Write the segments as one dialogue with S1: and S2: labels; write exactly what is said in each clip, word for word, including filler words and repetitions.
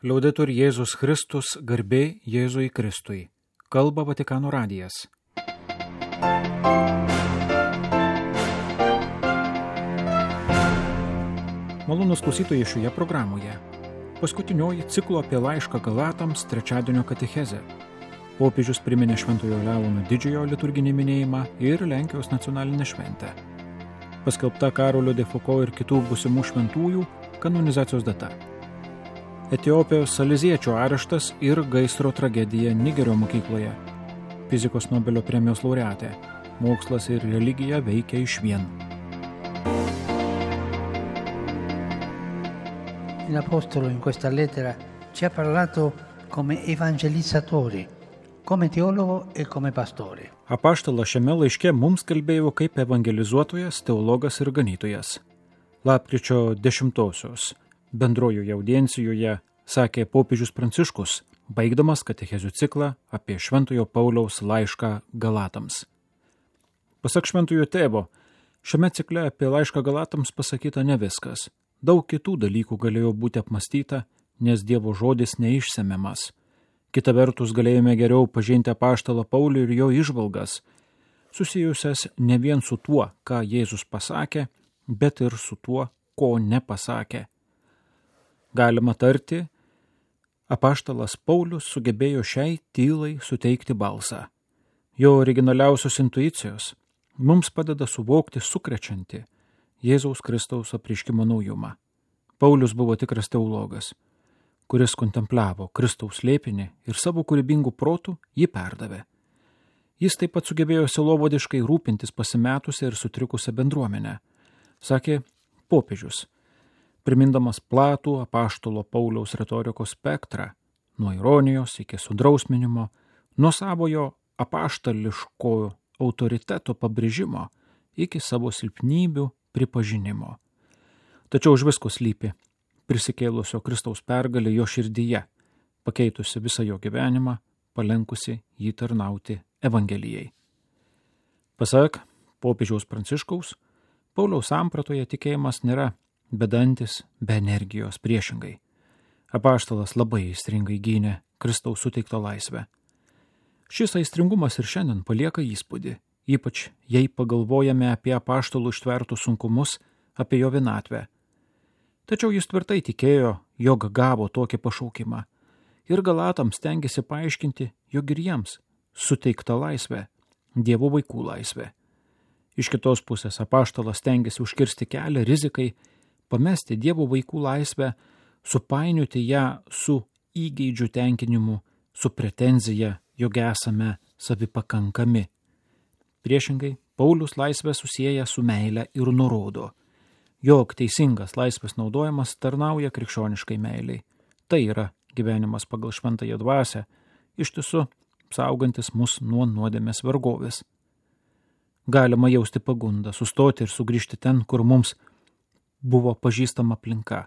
S1: Liaudetur Jėzus Kristus, garbė Jėzui Kristui. Kalba Vatikano radijas. Malonūs klausytojai šioje programoje. Paskutinioji ciklo apie laišką Galatams trečiadienio katechezė. Popiežius priminė Šventojo Leono didžiojo liturginį minėjimą ir Lenkijos nacionalinę šventę. Paskelbta Karolio de Foucault ir kitų būsimų šventųjų kanonizacijos data. Etiopijos saliziečio areštas ir gaisro tragedija Nigerio mokykloje. Fizikos Nobelio premijos laureatė. Mokslas ir religija veikia išvien.
S2: L'Apostolo in questa lettera ci ha parlato come evangelizzatori, come teologo e come pastore.
S1: Apaštalas šiame laiške mums kalbėjo kaip evangelizuotojas, teologas ir ganytojas. Lapkričio dešimtosios bendrojoje audiencijoje sakė popiežius Pranciškus, baigdamas katechezių ciklą apie Šventojo Pauliaus laišką Galatams. Pasak Šventojo tėvo, šiame cikle apie laišką Galatams pasakyta ne viskas. Daug kitų dalykų galėjo būti apmastyta, nes Dievo žodis neišsemiamas. Kita vertus galėjome geriau pažinti apaštalą Paulių ir jo įžvalgas, susijusias ne vien su tuo, ką Jėzus pasakė, bet ir su tuo, ko nepasakė. Galima tarti, apaštalas Paulius sugebėjo šiai tylai suteikti balsą. Jo originaliausios intuicijos mums padeda suvokti sukrečiantį Jėzaus Kristaus apreiškimo naujumą. Paulius buvo tikras teologas, kuris kontempliavo Kristaus slėpinį ir savo kūrybingų protų jį perdavė. Jis taip pat sugebėjo sielovadiškai rūpintis pasimetusią ir sutrikusią bendruomenę, sakė popiežius, primindamas platų apaštalo Pauliaus retorikos spektrą, nuo ironijos iki sudrausminimo, nuo savojo apaštališkojo autoriteto pabrėžimo iki savo silpnybių pripažinimo. Tačiau už visko slypi prisikėlusio Kristaus pergalė jo širdyje, pakeitusi visą jo gyvenimą, palenkusi jį tarnauti Evangelijai. Pasak popiežiaus Pranciškaus, Pauliaus sampratoje tikėjimas nėra bedantis, be energijos, priešingai. Apaštalas labai aistringai gynė Kristaus suteiktą laisvę. Šis aistringumas ir šiandien palieka įspūdį, ypač jei pagalvojame apie apaštalų ištvertus sunkumus, apie jo vienatvę. Tačiau jis tvirtai tikėjo, jog gavo tokį pašaukimą ir Galatams stengėsi paaiškinti, jog ir jiems suteikta laisvė, Dievo vaikų laisvė. Iš kitos pusės apaštalas stengėsi užkirsti kelią rizikai, pamesti Dievo vaikų laisvę, supainioti ją su įgeidžių tenkinimu, su pretenzija, jog esame savipakankami. Priešingai, Paulius laisvę susieja su meile ir nurodo, jog teisingas laisvės naudojimas tarnauja krikščioniškai meiliai. Tai yra gyvenimas pagal šventąją dvasią, iš tiesų saugantis mus nuo nuodėmės vergovės. Galima jausti pagundą, sustoti ir sugrįžti ten, kur mums buvo pažįstama aplinka,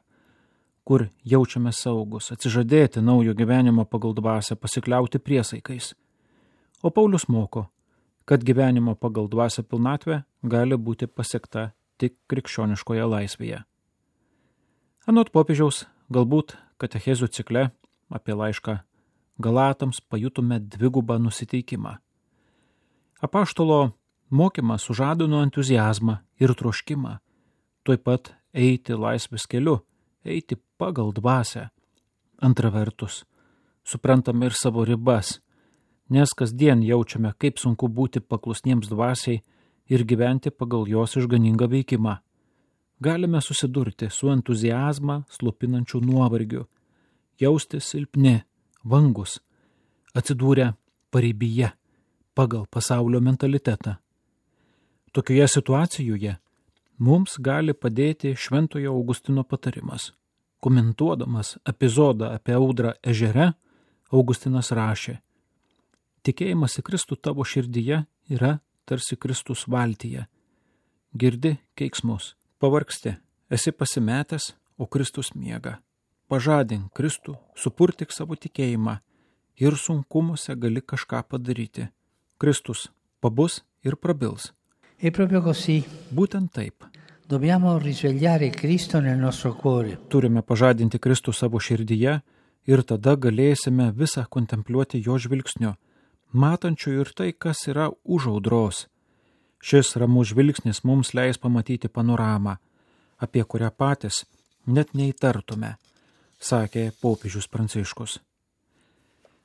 S1: kur jaučiame saugus, atsižadėti naujo gyvenimo pagal dvasią, pasikliauti priesaikais. O Paulius moko, kad gyvenimo pagal dvasią pilnatvė gali būti pasiekta tik krikščioniškoje laisvėje. Anot popiežiaus, galbūt katechezių cikle apie laišką Galatams pajutume dvigubą nusiteikimą. Apaštalo mokymas sužadino entuziazmą ir troškimą, tuoj pat eiti laisvės keliu, eiti pagal dvasią. Antra vertus, suprantame ir savo ribas, nes kasdien jaučiame, kaip sunku būti paklusniems dvasiai ir gyventi pagal jos išganingą veikimą. Galime susidurti su entuziazmą slopinančiu nuovargiu, jausti silpni, vangus, atsidūrę paribyje pagal pasaulio mentalitetą. Tokioje situacijoje mums gali padėti Šventojo Augustino patarimas. Komentuodamas epizodą apie audrą ežere, Augustinas rašė: tikėjimas į Kristų tavo širdyje yra tarsi Kristus valtyje. Girdi keiksmus, pavargsti, esi pasimetęs, o Kristus miega. Pažadink Kristų, supurtik savo tikėjimą ir sunkumuose gali kažką padaryti. Kristus pabus ir prabils.
S2: E proprio così.
S1: Būtent taip.
S2: Dobbiamo risvegliare Cristo nel nostro cuore.
S1: Turime pažadinti Kristų savo širdyje ir tada galėsime visą kontempliuoti jo žvilgsniu, matančiu ir tai, kas yra už audros. Šis ramus žvilgsnis mums leis pamatyti panoramą, apie kurią patys net neįtartume, sakė popiežius Pranciškus.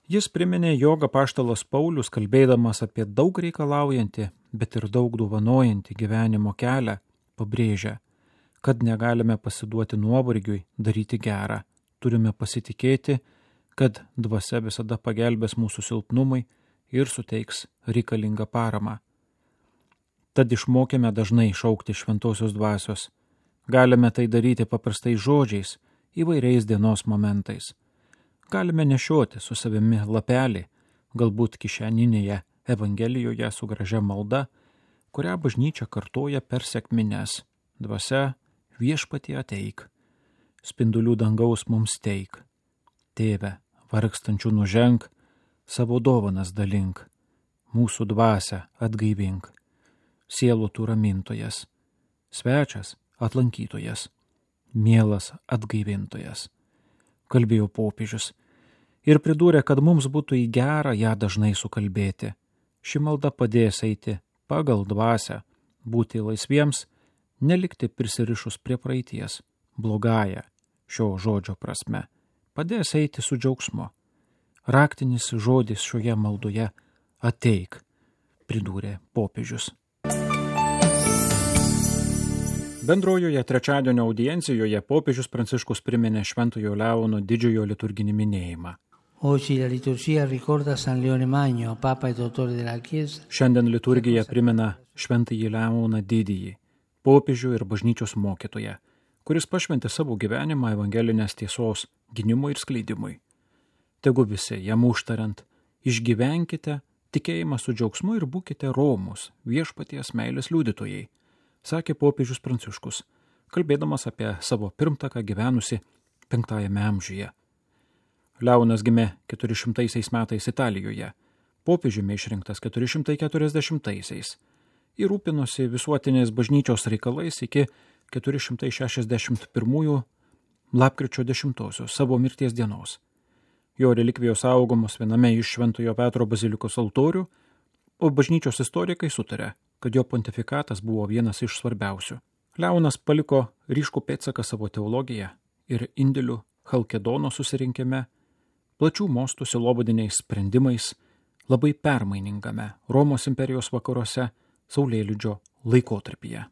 S1: Jis priminė, jog apaštalas Paulius, kalbėdamas apie daug reikalaujantį, bet ir daug dovanojantį gyvenimo kelią, pabrėžia, kad negalime pasiduoti nuovargiui daryti gerą. Turime pasitikėti, kad dvasia visada pagelbės mūsų silpnumui ir suteiks reikalingą paramą. Tad išmokėme dažnai šaukti šventosios dvasios. Galime tai daryti paprastais žodžiais, įvairiais dienos momentais. Galime nešioti su savimi lapelį, galbūt kišeninėje Evangelijoje su gražia malda, kurią bažnyčia kartoja per sekmines. Dvasia, viešpatie ateik, spindulių dangaus mums teik. Tėve, vargstančių nuženk, savo dovanas dalink, mūsų dvasią atgaivink. Sielų tu ramintojas, svečias atlankytojas, mielas atgaivintojas, kalbėjo popiežius ir pridūrė, kad mums būtų į gerą ją dažnai sukalbėti. Ši malda padės eiti pagal dvasią, būti laisviems, nelikti prisirišus prie praeities, blogąją šio žodžio prasme, padės eiti su džiaugsmu. Raktinis žodis šioje maldoje ateik, pridūrė popiežius. Bendrojoje trečiadienio audiencijoje popiežius Pranciškus priminė Šventojo Leono didžiojo liturginį minėjimą.
S2: Oggi la liturgia ricorda San Leone Magno, Papa e Dottore della Chiesa.
S1: Šiandien liturgija primena Šventąjį Leoną didįjį, popiežių ir bažnyčios mokytoją, kuris pašventė savo gyvenimą evangelinės tiesos gynimui ir skleidimui. Tegu visi, jam užtariant, išgyvenkite tikėjimą su džiaugsmu ir būkite romūs, viešpaties meilės liudytojai, sakė popiežius Pranciškus, kalbėdamas apie savo pirmtaką gyvenusi penktajame amžiuje. Leonas gimė keturišimtaisiais metais Italijoje, popiežiumi išrinktas keturi šimtai keturiasdešimtaisiais ir rūpinosi visuotinės bažnyčios reikalais iki keturi šimtai šešiasdešimt pirmųjų lapkričio dešimtosios savo mirties dienos. Jo relikvijos saugomos viename iš Šventojo Petro bazilikos altorių, o bažnyčios istorikai sutarė, kad jo pontifikatas buvo vienas iš svarbiausių. Leonas paliko ryškų pėdsaką savo teologiją ir indėlių Chalkedono susirinkime, plačių mostų sielovadiniais sprendimais, labai permainingame Romos imperijos vakaruose Saulėlydžio laikotarpyje.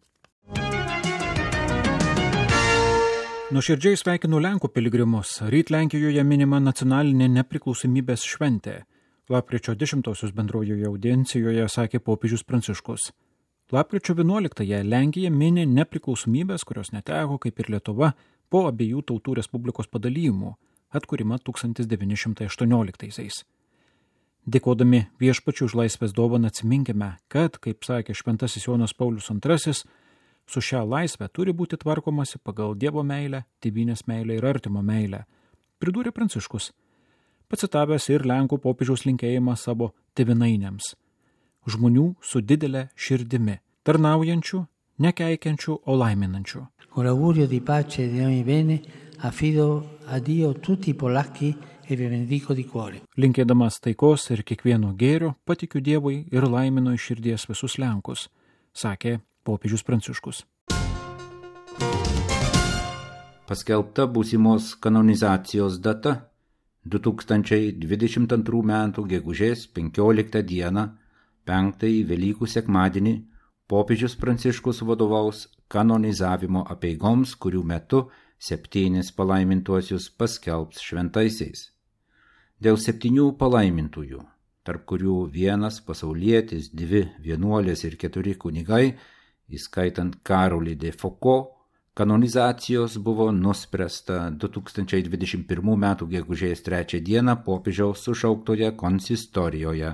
S1: Nuoširdžiai sveikinu Lenkų piligrimus. Ryt Lenkijoje minima nacionalinė nepriklausomybės šventė. Lapkričio dešimtosios bendrojoje audiencijoje sakė popiežius Pranciškus. Lapkričio vienuoliktąją Lenkija mini nepriklausomybės, kurios neteko, kaip ir Lietuva, po abiejų tautų respublikos padalijimų, atkūrimą tūkstantis devyni šimtai aštuonioliktaisiais. Dėkodami viešpačiui už laisvės dovaną atsiminkime, kad, kaip sakė šventasis Jonas Paulius antrasis, su šia laisvė turi būti tvarkomasi pagal Dievo meilę, tėvynės meilę ir artimo meilę, pridūrė Pranciškus, pacitavęs ir Lenkų popiežiaus linkėjimą savo tėvynainiams, žmonių su didelė širdimi, tarnaujančių, nekeikiančių, o laiminančių.
S2: Con l'augurio di pace e di ogni bene affido a Dio tutti i polacchi e vi benedico di cuore.
S1: Linkėdamas taikos ir kiekvieno gėrio, patikiu Dievui ir laiminu iš širdies visus Lenkus, sakė popiežius Pranciškus.
S3: Paskelbta būsimos kanonizacijos data du tūkstančiai dvidešimt antrų metų gegužės penkioliktą dieną, penktąjį Velykų sekmadienį, popiežius Pranciškus vadovaus kanonizavimo apeigoms, kurių metu septynis palaimintuosius paskelbs šventaisiais. Dėl septynių palaimintųjų, tarp kurių vienas pasaulietis, dvi vienuolės ir keturi kunigai, įskaitant Karolį de Foucault, kanonizacijos buvo nuspręsta du tūkstančiai dvidešimt pirmų metų gegužės trečią dieną popiežiaus sušauktoje konsistorijoje.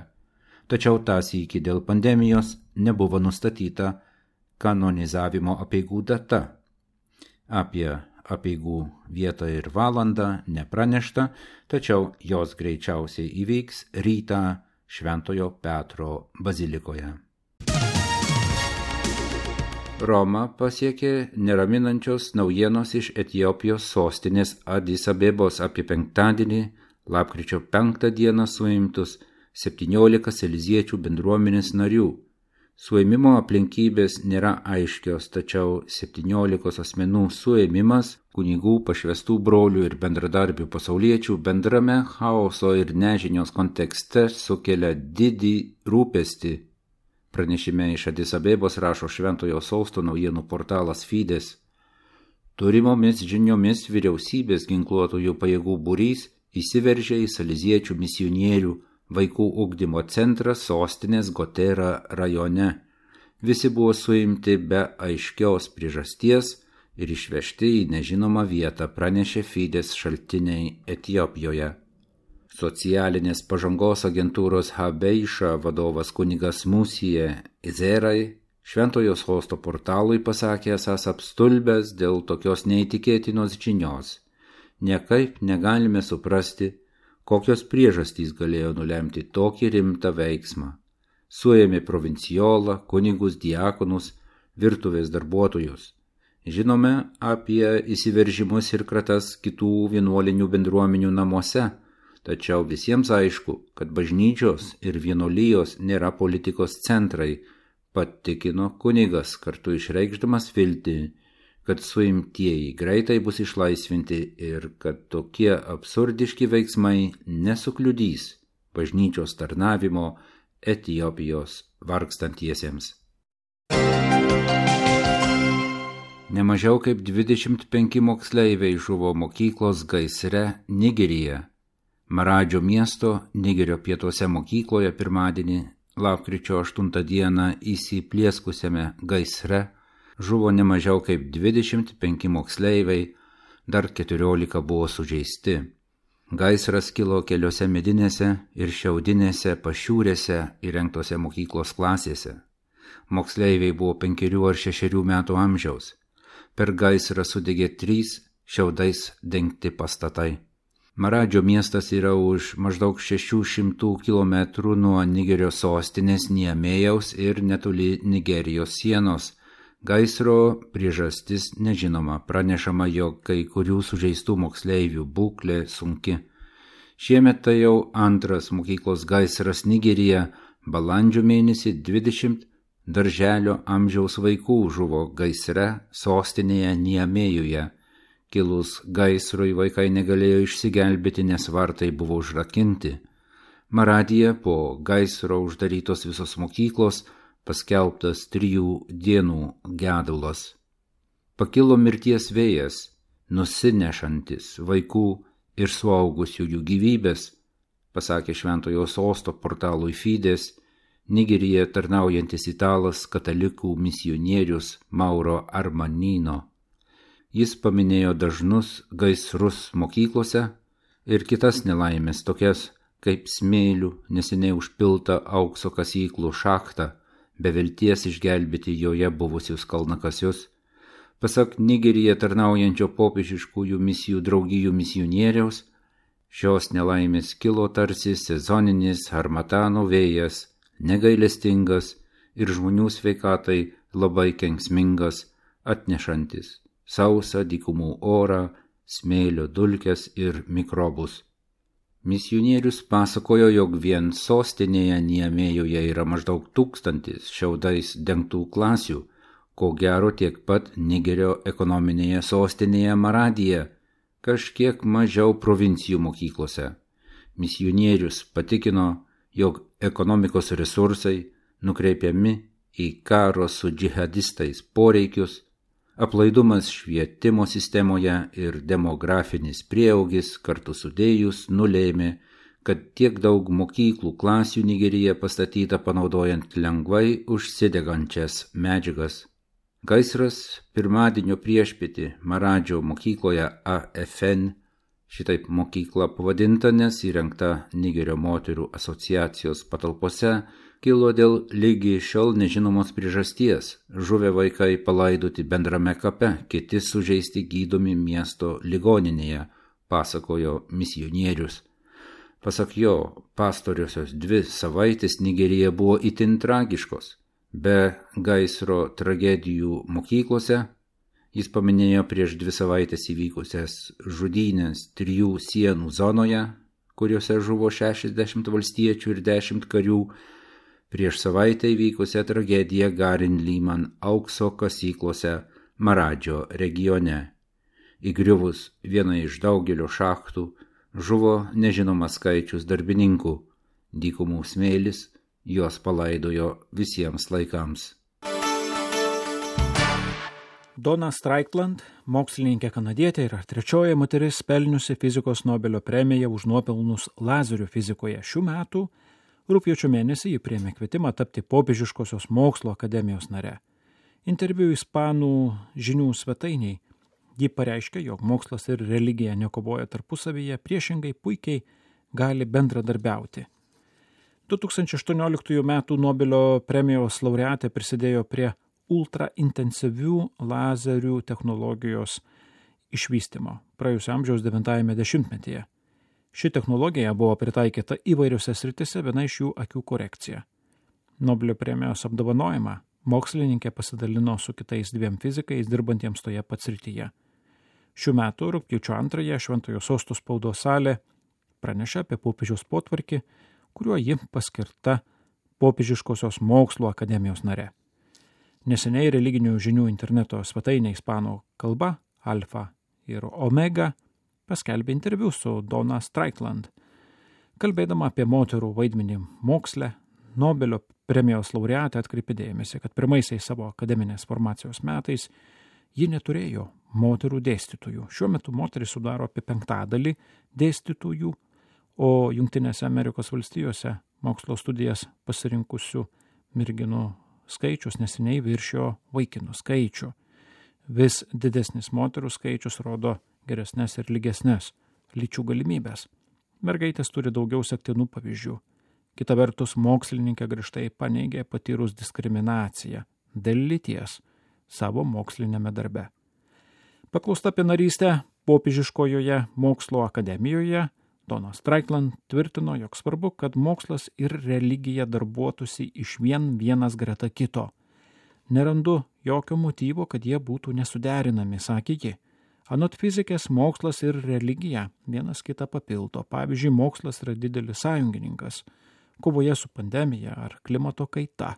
S3: Tačiau tąsyk dėl pandemijos nebuvo nustatyta kanonizavimo apeigų data. Apie apeigų vietą ir valandą nepranešta, tačiau jos greičiausiai įvyks rytą Šventojo Petro bazilikoje. Romą pasiekė neraminančios naujienos iš Etiopijos sostinės Adis Abebos apie penktadienį, lapkričio penktą dieną suimtus septyniolika saleziečių bendruomenės narių. Suėmimo aplinkybės nėra aiškios, tačiau septyniolikos asmenų suėmimas, kunigų, pašvestų brolių ir bendradarbių pasauliečių bendrame chaoso ir nežinios kontekste sukelia didį rūpestį. Pranešime iš Adis Abebos rašo Šventojo Sosto naujienų portalas Fides. Turimomis žiniomis vyriausybės ginkluotojų pajėgų būrys įsiveržė į saleziečių misionierių vaikų ugdymo centrą sostinės Gotera rajone. Visi buvo suimti be aiškios priežasties ir išvežti į nežinomą vietą, pranešė Fides šaltiniai Etiopijoje. Socialinės pažangos agentūros Habeiša vadovas kunigas Musije Izerai Šventojo Sosto portalui pasakė esąs apstulbęs dėl tokios neįtikėtinos žinios. Niekaip negalime suprasti, kokios priežastys galėjo nulemti tokį rimtą veiksmą. Suėmė provinciolą, kunigus, diakonus, virtuvės darbuotojus. Žinome apie įsiveržimus ir kratas kitų vienuolinių bendruomenių namuose, tačiau visiems aišku, kad bažnyčios ir vienuolijos nėra politikos centrai, patikino kunigas, kartu išreikšdamas viltį, kad suimtieji greitai bus išlaisvinti ir kad tokie absurdiški veiksmai nesukliudys bažnyčios tarnavimo Etiopijos vargstantiesiems. Nemažiau kaip dvidešimt penki moksleiviai žuvo mokyklos gaisre Nigeryje. Maradžio miesto Nigerio pietuose mokykloje pirmadienį, lapkričio aštuntą dieną įsiplieskusiame gaisre žuvo nemažiau kaip dvidešimt penki moksleiviai, dar keturiolika buvo sužeisti. Gaisras kilo keliose medinėse ir šiaudinėse pašiūrėse įrengtose mokyklos klasėse. Moksleiviai buvo penkerių ar šešerių metų amžiaus. Per gaisrą sudegė trys šiaudais dengti pastatai. Maradžio miestas yra už maždaug šešių šimtų kilometrų nuo Nigerio sostinės Niamėjaus ir netoli Nigerijos sienos. Gaisro priežastis nežinoma, pranešama, jog kai kurių sužeistų moksleivių būklė sunki. Šiemet tai jau antras mokyklos gaisras Nigeryje, balandžio mėnesį dvidešimt darželio amžiaus vaikų žuvo gaisre sostinėje Niamėjuje. Kilus gaisrui vaikai negalėjo išsigelbėti, nes vartai buvo užrakinti. Maradije po gaisro uždarytos visos mokyklos, paskelbtas trijų dienų gedulas. Pakilo mirties vėjas, nusinešantis vaikų ir suaugusiųjų gyvybės, pasakė Šventojo Sosto portalui Fides, Nigeryje tarnaujantis italas katalikų misionierius Mauro Armanino. Jis paminėjo dažnus gaisrus mokyklose ir kitas nelaimės, tokias kaip smėlių neseniai užpilta aukso kasyklų šachta, be vilties išgelbėti joje buvusius kalnakasius. Pasak Nigeryje tarnaujančio popiežiškųjų misijų draugijų misionieriaus, šios nelaimės kilo tarsi sezoninis harmatano vėjas, negailestingas ir žmonių sveikatai labai kenksmingas, atnešantis sausą dykumų orą, smėlio dulkes ir mikrobus. Misionierius pasakojo, jog vien sostinėje Niamėjoje yra maždaug tūkstantis šiaudais dengtų klasių, ko gero tiek pat Nigerio ekonominėje sostinėje Maradije, kažkiek mažiau provincijų mokyklose. Misionierius patikino, jog ekonomikos resursai nukreipiami į karo su džihadistais poreikius, aplaidumas švietimo sistemoje ir demografinis prieaugis kartu sudėjus nulėmė, kad tiek daug mokyklų klasių Nigeryje pastatyta panaudojant lengvai užsidegančias medžiagas. Gaisras pirmadienio priešpietį Maradžio mokykloje A F N, šitaip mokykla pavadinta, nes įrengta Nigerio moterų asociacijos patalpose, kilo dėl lygi šiol nežinomos priežasties. Žuvę vaikai palaidoti bendrame kape, kiti sužeisti gydomi miesto ligoninėje, pasakojo misionierius. Pasak jo, pastoriosios dvi savaitės Nigerija buvo itin tragiškos. be gaisro tragedijų mokyklose. Jis paminėjo prieš dvi savaitės įvykusias žudynės trijų sienų zonoje, kuriuose žuvo šešiasdešimt valstiečių ir dešimt karių, prieš savaitę įvykusią tragediją Garin Lyman aukso kasyklose Maradžio regione. Įgriuvus vieną iš daugelio šachtų žuvo nežinomas skaičius darbininkų. Dykumų smėlis juos palaidojo visiems laikams.
S1: Donna Strickland, mokslininkė kanadietė, yra trečioji moteris pelniusi fizikos Nobelio premiją už nuopelnus lazerių fizikoje. Šių metų rugpjūčio mėnesį ji priėmė kvietimą tapti Popiežiškosios mokslo akademijos nare. Interviu ispanų žinių svetainiai ji pareiškė, jog mokslas ir religija nekovoja tarpusavyje, priešingai puikiai gali bendradarbiauti. du tūkstančiai aštuonioliktųjų metų Nobelio premijos laureatė prisidėjo prie ultraintensyvių lazerių technologijos išvystymo praėjusio amžiaus devintajame dešimtmetyje. Ši technologija buvo pritaikyta įvairiose sritise, viena iš jų akių korekcija. Nobelio premijos apdovanojimą mokslininkė pasidalino su kitais dviem fizikais dirbantiems toje pat srityje. Šių metų rugpjūčio antrąją Šventojo Sosto spaudos salė pranešė apie popiežiaus potvarkį, kuriuo ji paskirta Popiežiškosios mokslo akademijos nare. Neseniai religinių žinių interneto svetainė ispanų kalba Alfa ir Omega paskelbė interviu su Donna Strickland. Kalbėdama apie moterų vaidmenį moksle, Nobelio premijos laureatė atkreipė dėmesį, kad pirmaisiais savo akademinės formacijos metais ji neturėjo moterų dėstytojų. Šiuo metu moteris sudaro apie penktadalį dėstytojų, o Jungtinėse Amerikos valstijose mokslo studijas pasirinkusių merginų skaičius neseniai viršijo vaikinų skaičių. Vis didesnis moterų skaičius rodo geresnės ir lygesnės lyčių galimybės. Mergaitės turi daugiau sektinų pavyzdžių. Kita vertus, mokslininkė griežtai paneigė patyrus diskriminaciją dėl lyties savo mokslinėme darbe. Paklausta apie narystę Popiežiškojoje mokslo akademijoje, Donna Strickland tvirtino, jog svarbu, kad mokslas ir religija darbuotųsi išvien vienas greta kito. Nerandu jokio motyvo, kad jie būtų nesuderinami, sakė ji. Anot fizikės, mokslas ir religija vienas kitą papildo. Pavyzdžiui, mokslas yra didelis sąjungininkas kovoje su pandemija ar klimato kaita,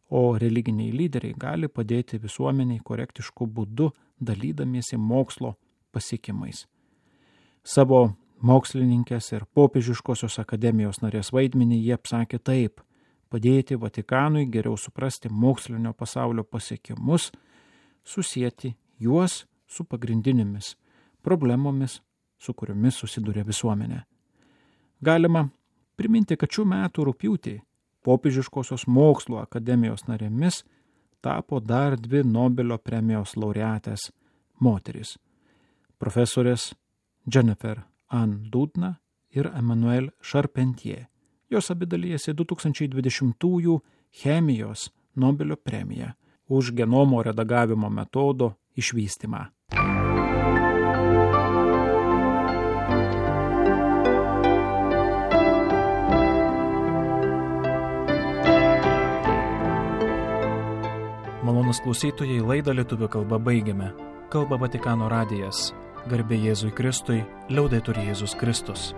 S1: o religiniai lyderiai gali padėti visuomeniai korektišku būdu, dalydamiesi mokslo pasiekimais. Savo mokslininkės ir Popiežiškosios akademijos narės vaidmenį jie apsakė taip: padėti Vatikanui geriau suprasti mokslinio pasaulio pasiekimus, susijęti juos su pagrindinėmis problemomis, su kuriomis susiduria visuomenė. Galima priminti, kad šių metų rugpjūtį Popiežiškosios mokslo akademijos narėmis tapo dar dvi Nobelio premijos laureatės moterys – profesorės Jennifer Ann Doudna ir Emmanuel Charpentier. Jos abi dalyjasi du tūkstančiai dvidešimtųjų chemijos Nobelio premiją už genomo redagavimo metodo išvystymą. Malonus klausytojai, laidą lietuvių kalba baigiame. Kalba Vatikano radijas. Garbė Jėzui Kristui, liaudetur Jėzus Kristus.